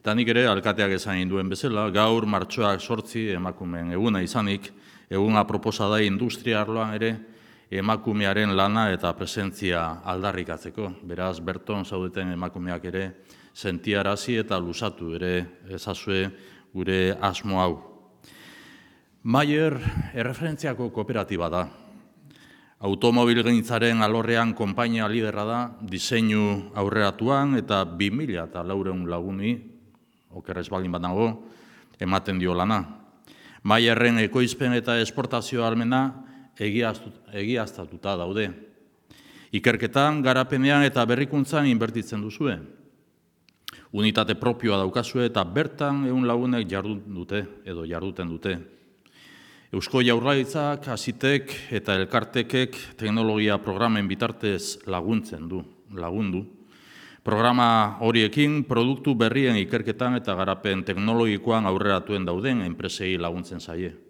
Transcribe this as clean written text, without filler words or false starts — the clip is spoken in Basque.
Nik ere, alkateak esan duen bezala, gaur martxoak 8 emakumeen eguna izanik, eguna proposa da industria arloan ere emakumearen lana eta presentzia aldarrikatzeko. Beraz, berton zaudeten emakumeak ere sentiarazi eta luzatu ere ezazue gure asmo hau. Mayer erreferentziako kooperatiba da. Automobilgintzaren alorrean konpainia liderra da, diseinu aurreratuan eta 2.400 laguni, okerrez baldin banago, ematen dio lana. Mayerren ekoizpen eta esportazio ahalmena egiaztatuta daude. Ikerketan, garapenean eta berrikuntzan inbertitzen duzue. Unitate propioa daukazue eta bertan 100 lagunek jarduten dute. Eusko Jaurlaritzak, Hasitek eta Elkartekek teknologia programen bitartez lagundu. Programa horiekin produktu berrien ikerketan eta garapen teknologikoan aurreratuen dauden enpresei laguntzen zaie.